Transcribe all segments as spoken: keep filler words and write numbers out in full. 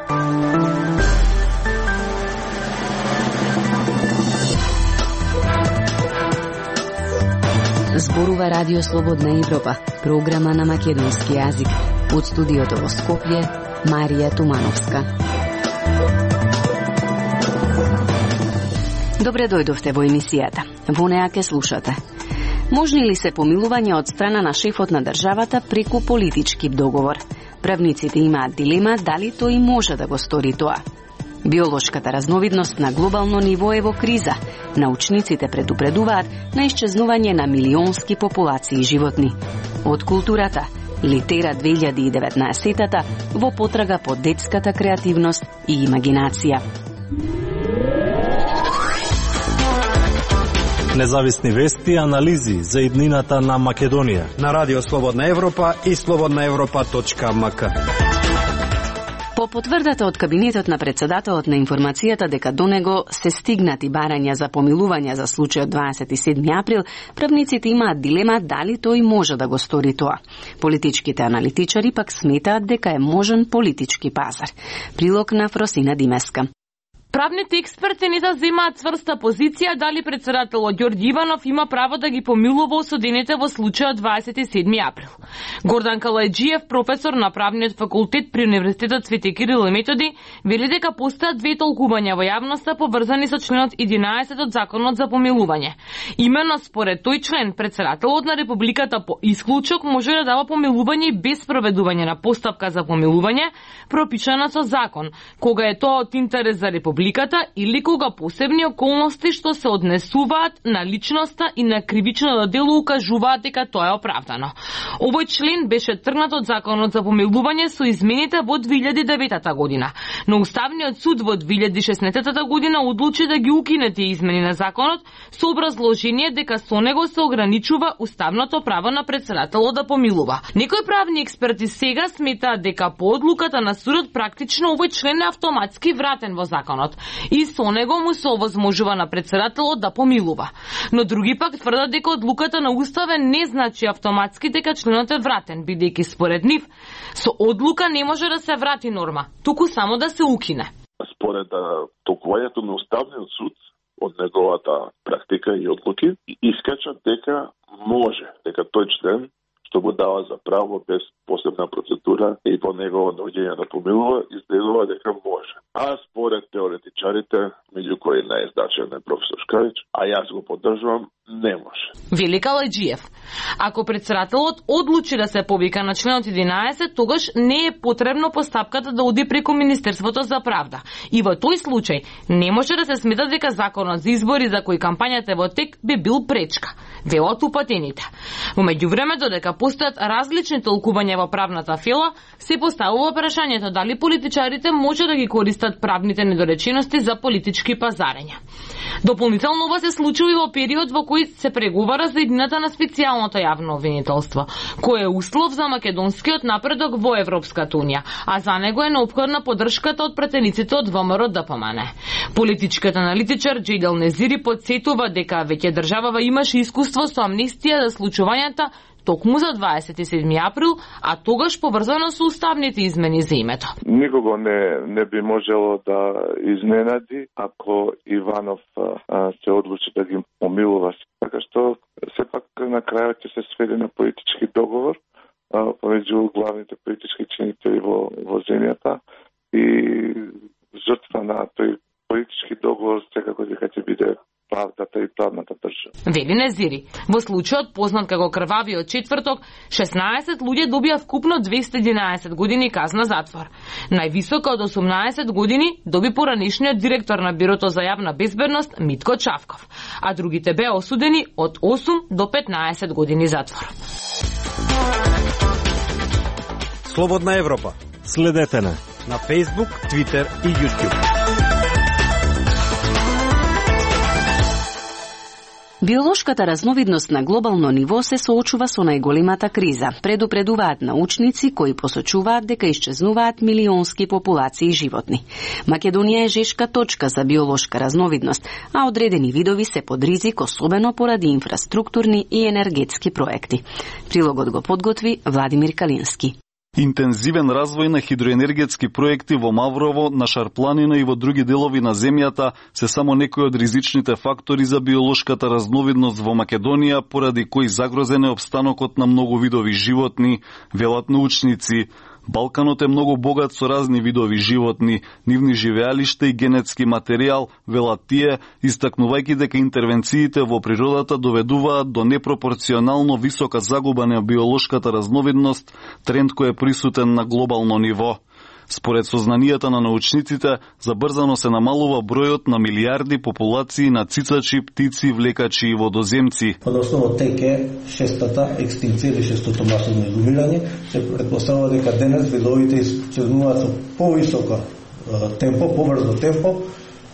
Зборува Радио Слободна Европа, програма на македонски јазик. Од студиото во Скопје, Марија Тумановска. Добре дојдовте во емисијата. Во неа ке слушате. Можни ли се помилување од страна на шефот на државата преку политички договор? Правниците имаат дилема дали тој може да го стори тоа. Биолошката разновидност на глобално ниво е во криза. Научниците предупредуваат на исчезнување на милионски популации животни. Од културата, Литера две илјади и деветнаесетта во потрага по детската креативност и имагинација. Независни вести и анализи за иднината на Македонија на Радио Слободна Европа и слободна европа точка ем ка. По потврдата од кабинетот на председателот на информацијата дека до него се стигнати барања за помилување за случајот дваесет и седми април, правниците имаат дилема дали тој може да го стори тоа. Политичките аналитичари пак сметаат дека е можен политички пазар. Прилог на Фросина Димеска. Правните експерти не заземаат цврста позиција дали председателот Ѓорѓи Иванов има право да ги помилува осудените во случајот дваесет и седми април. Гордан Калајџиев, професор на правниот факултет при Универзитетот Свети Кирил и Методи, вели дека постојат две толкувања во јавноста поврзани со членот единаесет од Законот за помилување. Именно според тој член, председателот на Републиката по исклучок може да дава помилување без проведување на постапка за помилување, пропишана со закон, кога е тоа од интерес за Републиката или кога посебни околности што се однесуваат на личноста и на кривичното дело укажуваат дека тоа е оправдано. Овој член беше тргнат од Законот за помилување со измените во две илјади и деветта година, но Уставниот суд во две илјади и шеснаесетта година одлучи да ги укине тие измени на законот со образложение дека со него се ограничува уставното право на председателот да помилува. Некои правни експерти сега сметаат дека по одлуката на судот практично овој член е автоматски вратен во законот и со него му се овозможува на председателот да помилува. Но други пак тврдат дека одлуката на уставен не значи автоматски дека членот е вратен, бидејќи според нив со одлука не може да се врати норма, туку само да се укине. Според толкувањето на Уставниот суд од неговата практика и одлуки, искачат дека може, дека тој член што го дава за право без посебна процедура и по негово наоѓање да помилува, изгледува дека може. А според теоретичарите, меѓу кои најзначаен е професор Шкариć, а јас го поддржувам, не може. Вели Калајџиев. Ако председателот одлучи да се повика на членот единаесет, тогаш не е потребно постапката да оди преку Министерството за правда. И во тој случај не може да се смета дека законот за избори за кој кампањата е во тек би бил пречка, велат упатените. Во меѓувреме, додека постојат различни толкувања во правната фела, се поставува прашањето дали политичарите може да ги користат правните недоречености за политички пазарења. Дополнително ова се случува и во период во кој се преговара за иднината на специјалното јавно обвинителство, кој е услов за македонскиот напредок во Европската унија, а за него е неопходна поддршката од пратениците од ВМРО Д П М Н. Политичкиот аналитичар Џејдел Незири потсетува дека веќе државава имаше искуство со амнестија за случувањата токму за дваесет и седми април, а тогаш поврзано со уставните измени за името. Никого не, не би можело да изненади ако Иванов а, се одлучи да ги помилува. Така што сепак на крајот ќе се сведе на политички договор а, помеѓу главните политички чинители во, во земјата и жртва на тој политички договор секако дека ќе биде правдата и правната држава. Вели Незири. Во случајот познат како крвавиот четврток, шеснаесет луѓе добија вкупно двесте и единаесет години казна затвор. Највисока од осумнаесет години доби поранешниот директор на Бирото за јавна безбедност Митко Чавков, а другите беа осудени од осум до петнаесет години затвор. Слободна Европа. Следете на на Facebook, Twitter и YouTube. Биолошката разновидност на глобално ниво се соочува со најголемата криза, предупредуваат научници кои посочуваат дека исчезнуваат милионски популации животни. Македонија е жешка точка за биолошка разновидност, а одредени видови се под ризик, особено поради инфраструктурни и енергетски проекти. Прилогот го подготви Владимир Калински. Интензивен развој на хидроенергетски проекти во Маврово, на Шарпланина и во други делови на земјата се само некои од ризичните фактори за биолошката разновидност во Македонија, поради кои загрозен е опстанокот на многу видови животни, велат научници. Балканот е многу богат со разни видови животни, нивни живеалишта и генетски материјал, велат тие, истакнувајќи дека интервенциите во природата доведуваат до непропорционално висока загуба на биолошката разновидност, тренд кој е присутен на глобално ниво. Според сознанијата на научниците, забрзано се намалува бројот на милиарди популации на цицачи, птици, влекачи и водоземци. Односно, теке шестата екстинција или шестото масовно изумирање, се предпоставува дека денес видовите исчезнуваат со повисоко темпо, побрзо темпо,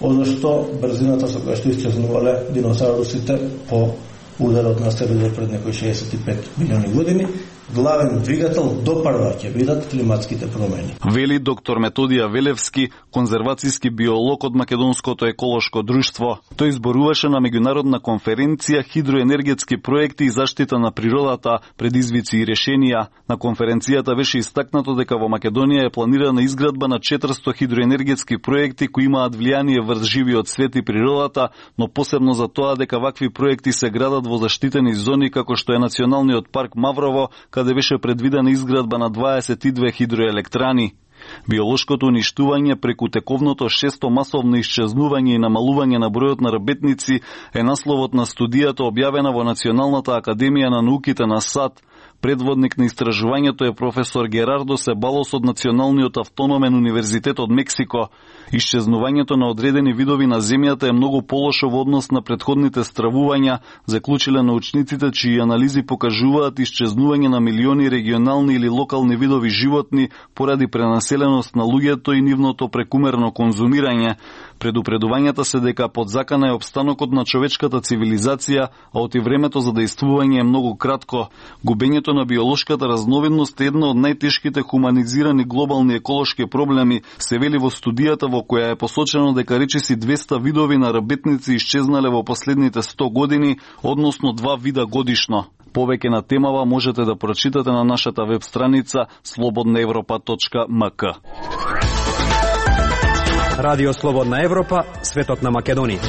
одошто брзината со која што исчезнувале диносаурусите по ударот на астероидот пред некои шеесет и пет милиони години, главен двигател допарва ќе бидат климатските промени. Вели доктор Методија Велевски, конзервацијски биолог од Македонското еколошко друштво. Тој изборуваше на меѓународна конференција хидроенергетски проекти и заштита на природата, предизвици и решенија. На конференцијата беше истакнато дека во Македонија е планирана изградба на четиристо хидроенергетски проекти кои имаат влијание врз живиот свет и природата, но посебно за тоа дека вакви проекти се градат во заштитени зони како што е Националниот парк Маврово, каде беше предвидена изградба на дваесет и две хидроелектрани. Биолошкото уништување преку тековното шесто масовно исчезнување и намалување на бројот на работници е насловот на студијата објавена во Националната академија на науките на САД. Предводник на истражувањето е професор Герардо Себалос од Националниот автономен универзитет од Мексико. Исчезнувањето на одредени видови на земјата е многу полошо во однос на претходните стравувања, заклучиле научниците чии анализи покажуваат исчезнување на милиони регионални или локални видови животни поради пренаселеност на луѓето и нивното прекумерно конзумирање. Предупредувањата се дека под закана е опстанокот на човечката цивилизација, а оти времето за дејствување е многу кратко. Губењето на биолошката разновидност е една од најтешките хуманизирани глобални еколошки проблеми, се вели во студијата во која е посочено дека речиси двеста видови на работници исчезнале во последните сто години, односно два вида годишно. Повеќе на темава можете да прочитате на нашата веб страница слободна европа точка ем ка. Радио Слободна Европа, светот на Македонија.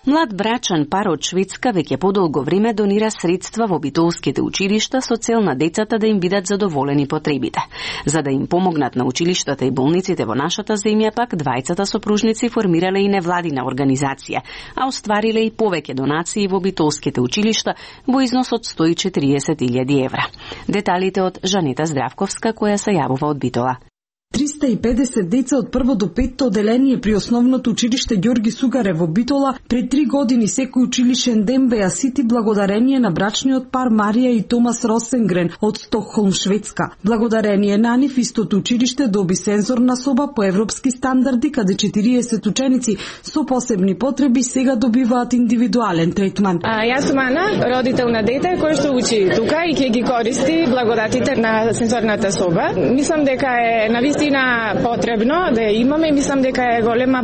Млад брачен пар од Шведска веќе подолго време донира средства во битолските училишта со цел на децата да им бидат задоволени потребите. За да им помогнат на училиштата и болниците во нашата земја, пак двајцата сопружници формирале и невладина организација, а оствариле и повеќе донации во битолските училишта во износ од сто и четириесет илјади евра. Деталите од Жанета Здравковска, која се јавува од Битола. триста и педесет деца од прво до петто оделение при основното училиште Ѓорги Сугаре во Битола пред три години секој училишен ден беа сити благодарение на брачниот пар Марија и Томас Росенгрен од Стокхолм, Шведска. Благодарение на нив истото училиште доби сензорна соба по европски стандарди, каде четириесет ученици со посебни потреби сега добиваат индивидуален третман. А, јас сум Ана, родител на дете кој што учи тука и ќе ги користи благодатите на сензорната соба. Мислам дека е на вистина потребно да ја имаме и мислам дека е голема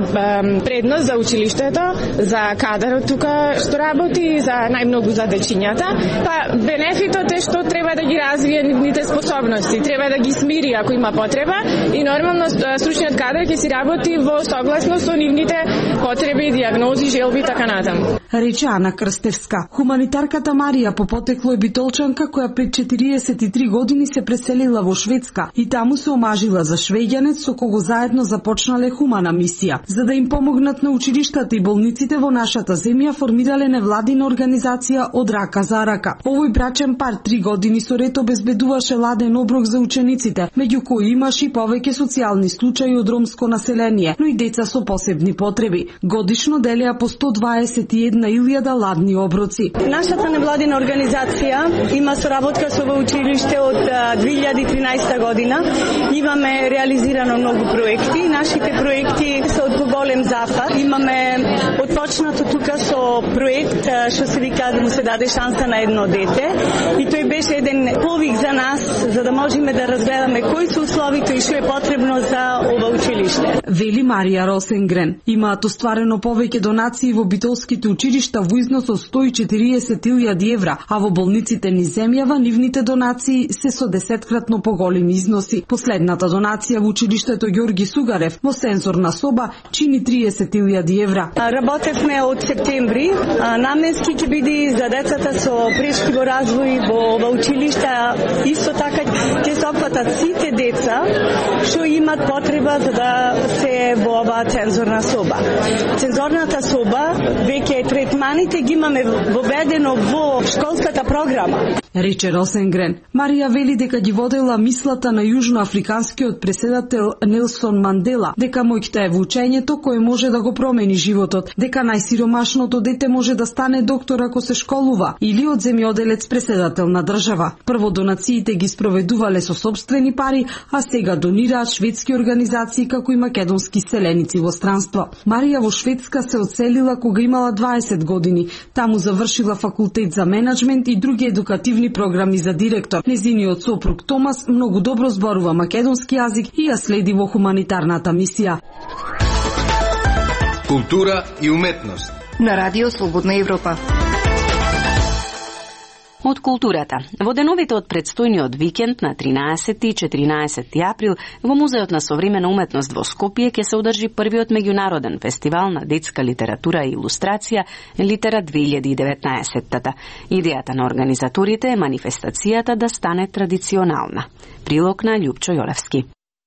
предност за училиштето, за кадарот тука што работи, за најмногу за дечињата. Па бенефитот е што треба да ги развие нивните способности, треба да ги смири ако има потреба и нормално стручниот кадар ќе си работи во согласно со нивните потреби, дијагнози, желби и така натаму. Рече Ана Крстевска. Хуманитарката Марија по потекло е битолчанка која пред четириесет и три години се преселила во Шведска и таму се омажила за швеѓанец со кого заедно започнале хумана мисија. За да им помогнат на училиштата и болниците во нашата земја, формирале невладина организација од рака за рака. Овој брачен пар три години со ред обезбедуваше ладен оброк за учениците, меѓу кои имаше и повеќе социјални случаи од ромско население, но и деца со посебни потреби. Годишно делеа по сто дваесет и една илјада ладни оброци. Нашата невладина организација има соработка со во училиште од две илјади и тринаесета година. Имаме реализирано многу проекти. Нашите проекти се од поголем зафат. Имаме отпочнато тука со проект што се вика да му се даде шанса на едно дете и тој беше еден повик за нас за да можеме да разгледаме кои се условите и што е потребно за ова училиште. Вели Марија Росенгрен. Имаат остварено повеќе донации во битолските училишта училишта во износ од сто и четириесет илјади евра, а во болниците низ земјава нивните донации се со десеткратно поголеми износи. Последната донација во училиштето Ѓорги Сугарев во сензорна соба чини триесет илјади евра. Работевме од септември, наменски ќе биде за децата со прешки во развој во, во училишта, исто така ќе се опфатат сите деца што имат потреба за да се во оваа цензорна соба. Цензорната соба веќе третманите ги имаме воведено во школската програма. Рече Росенгрен. Марија вели дека ги водела мислата на јужноафриканскиот преседател Нелсон Мандела, дека моќта е во учењето кое може да го промени животот, дека најсиромашното дете може да стане доктор ако се школува или од земјоделец преседател на држава. Прво донациите ги спроведувале со собствени пари, а сега донираат шведски организации како и македонски селеници во странство. Марија во Шведска се одселила кога имала дваесет години. Таму завршила факултет за менаџмент и други едукативни програми за директор. Незиниот сопруг Томас многу добро зборува македонски јазик и ја следи во хуманитарната мисија. Култура и уметност на Радио Слободна Европа. Од културата. Во деновите од предстојниот викенд на тринаесети и четиринаесети април во Музеот на современа уметност во Скопје ќе се одржи првиот меѓународен фестивал на детска литература и илустрација Литера две илјади и деветнаесетта. Идејата на организаторите е манифестацијата да стане традиционална. Прилог на Љупчо Јолевски.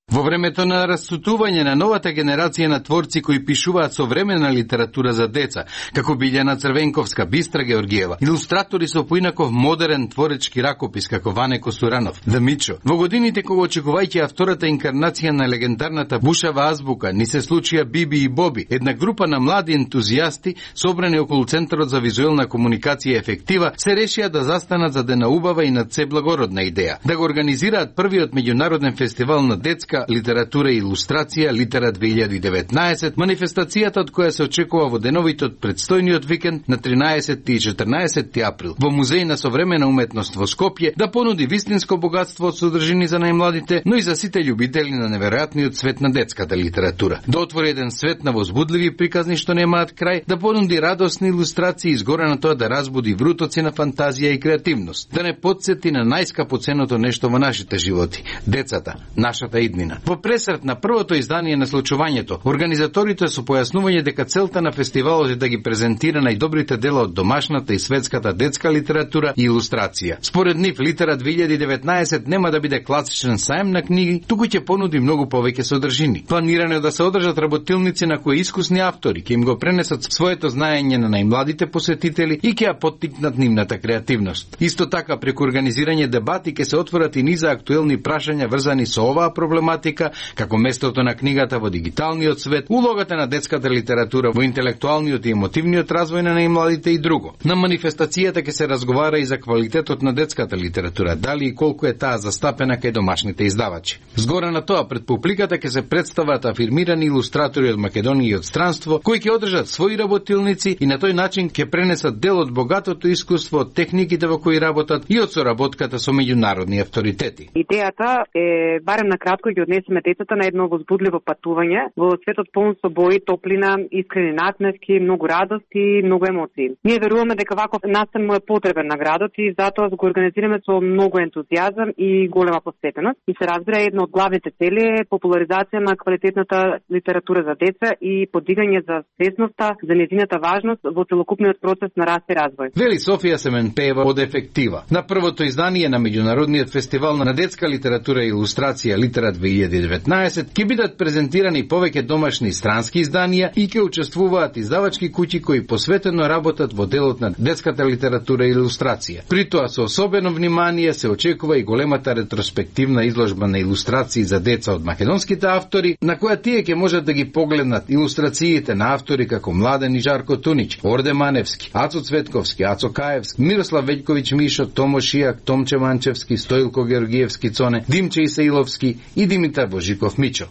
Во времето на растутување на новата генерација на творци кои пишуваат современа литература за деца, како Билјана Црвенковска, Бистра Георгиева, илустратори со поинаков модерен творечки ракопис како Ване Косуранов, Да Мичо. Во годините кога очекувајќи втората инкарнација на легендарната бушава азбука, ни се случија Биби и Боби, една група на млади ентузијасти собрани околу Центарот за визуелна комуникација и ефектива, се решија да застанат за една убава и над се благородна идеја, да го организираат првиот меѓународен фестивал на детска литература и илустрација Литера две илјади и деветнаесет, манифестацијата од која се очекува во деновите од предстојниот викенд на тринаесети и четрнаесети април во Музеј на современа уметност во Скопје да понуди вистинско богатство од содржини за најмладите, но и за сите љубители на неверојатниот свет на детската литература. Да отвори еден свет на возбудливи приказни што немаат крај, да понуди радосни илустрации изгора на тоа да разбуди врутоци на фантазија и креативност, да не потсети на најскапоценото нешто во нашите животи – децата, нашата иднина. Во пресрет на првото издание на случувањето, организаторите со појаснување дека целта на фестивалот е да ги презентира најдобрите дела од домашната и светската детска литература и илустрација. Според нив, Литера две илјади и деветнаесет нема да биде класичен саем на книги, туку ќе понуди многу повеќе содржини. Планирано е да се одржат работилници на кои искусни автори ќе им го пренесат своето знаење на најмладите посетители и ќе ја поттикнат нивната креативност. Исто така, преку организирање дебати ќе се отворат и низа актуелни прашања врзани со оваа проблематика, како местото на книгата во дигиталниот свет, улогата на детската литература во интелектуалниот и емотивниот развој на најмладите и друго. На манифестацијата ќе се разговара и за квалитетот на детската литература, дали и колку е таа застапена кај домашните издавачи. Згора на тоа, пред публиката ќе се представат афирмирани илустратори од Македонија и од странство, кои ќе одржат своји работилници и на тој начин ќе пренесат дел од богатото искуство, од техниките во кои работат и од соработката со меѓународни авторитети. Идејата е барем на кратко ги однесеме децата на едно возбудливо патување во светот полн со бои, топлина, искрени насмевки, многу радости, многу емоции. Ние веруваме дека ваков настан му е потребен на градот и затоа го организираме со многу ентузијазам и голема посветеност. И се разбира, една од главните цели е популаризација на квалитетната литература за деца и подигање за свесноста за нејзината важност во целокупниот процес на раст и развој. Вели Софија Семенпеева од Ефектива. На првото издание на меѓународниот фестивал на детска литература и илустрација Литера две илјади и деветнаесет ќе бидат презентирани повеќе домашни и странски изданија и ќе учествуваат издавачки куќи кои посветено работат во делот на детската литература и илустрација. При тоа со особено внимание се очекува и големата ретроспективна изложба на илустрации за деца од македонските автори, на која тие ќе можат да ги погледнат илустрациите на автори како Младен и Жарко Тунич, Орде Маневски, Ацо Цветковски, Ацо Каевски, Мирослав Веljković Мишо, Томо Шијак, Томче Манчевски, Стоилко Георгиевски Цоне, Димче Исаиловски и Димитар Божиков Мичо.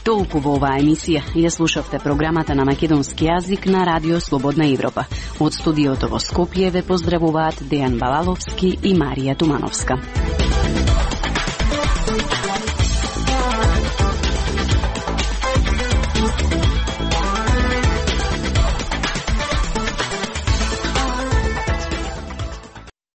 Толку во оваа емисија. Ја слушавте програмата на македонски јазик на Радио Слободна Европа. Од студиото во Скопје ве поздравуваат Дејан Балаловски и Марија Тумановска.